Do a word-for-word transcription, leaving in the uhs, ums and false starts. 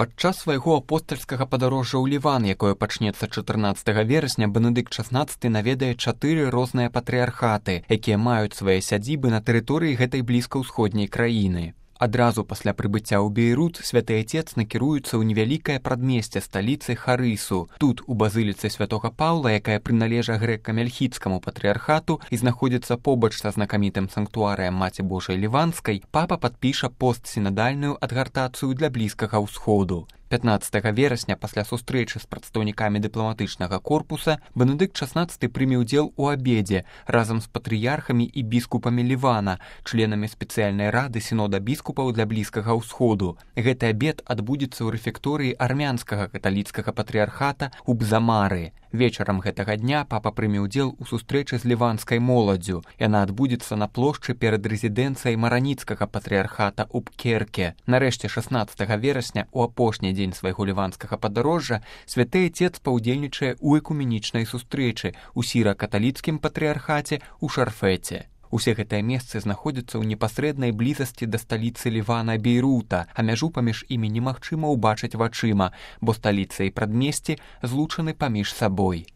Падчас свайго апостальскага падарожжа ў Ліван, якое пачнецца чатырнаццатага верасня, Бенедыкт шаснаццаты наведае чатыры розныя патрыархаты, якія маюць свае сядзібы на тэрыторыі гэтай блізкаўсходняй краіны. Адразу пасля прыбыцця ў Бейрут святы Айцец накіруецца ў невялікае прадмесце сталіцы Харысу. Тут, у базыліцы святога Паўла, якая прыналежа грэка-мельхідскаму патрыархату і знаходзіцца побач са знакамітым санктуарыем Маці Божай Ліванскай, папа падпіша постсінадальную адгартацыю для Блізкага ўсходу. пятнаццатага верасня, пасля сустрэчы з прадстаўнікамі дыпламатычнага корпуса, Бенедыкт шаснаццаты прыме ўдзел у абедзе разам з патрыярхамі і біскупамі Лівана, членамі спецыяльнай рады сінода біскупаў для Блізкага ўсходу. Гэты абед адбудзецца ў рэфекторыі армянскага каталіцкага патрыярхата ў Бзамары. Вечарам гэтага дня папа прыме ўдзел у сустрэчы з ліванскай моладдзю. Яна адбудзецца на плошчы перад рэзідэнцыяй мараніцкага патрыярхата ў Пкерке. Нарэшце шаснаццатага верасня, у апошні дзень свайго ліванскага падарожжа, святы Айцец паўдзельнічае ў экуменічнай сустрэчы ў сіра-каталіцкім патрыярхаце ў Шарфеце. Усе гэтыя месцы знаходзяцца ў непасрэднай блізасці да сталіцы Лівана Бейрута, а мяжу паміж імі немагчыма ўбачыць вачыма, бо сталіца і прадмесце злучаны паміж сабой.